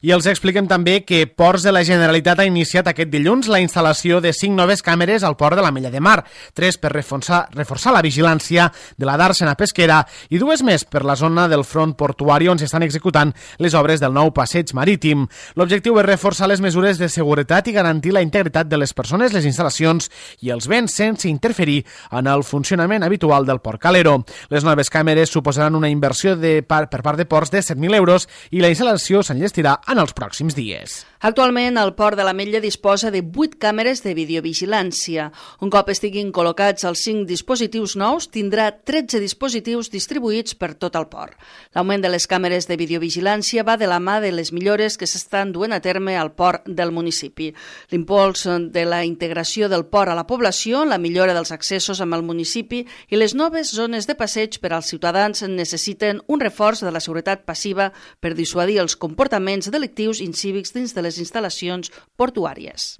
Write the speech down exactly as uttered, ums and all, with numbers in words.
I els expliquem també que Ports de la Generalitat ha iniciat aquest dilluns la instal·lació de cinc noves càmeres al port de l'Ametlla de Mar, tres per reforçar, reforçar la vigilància de la dàrsena pesquera i dues més per la zona del front portuari on s'estan executant les obres del nou passeig marítim. L'objectiu és reforçar les mesures de seguretat i garantir la integritat de les persones, les instal·lacions i els béns sense interferir en el funcionament habitual del port calero. Les noves càmeres suposaran una inversió de, per part de Ports de set mil euros i la instal·lació s'enllestirà en els pròxims dies. Actualment, el port de l'Ametlla disposa de vuit càmeres de videovigilància. Un cop estiguin col·locats els cinc dispositius nous, tindrà tretze dispositius distribuïts per tot el port. L'augment de les càmeres de videovigilància va de la mà de les millores que s'estan duent a terme al port del municipi. L'impuls de la integració del port a la població, la millora dels accessos amb el municipi i les noves zones de passeig per als ciutadans necessiten un reforç de la seguretat passiva per dissuadir els comportaments delictius incívics dins de les instal·lacions portuàries.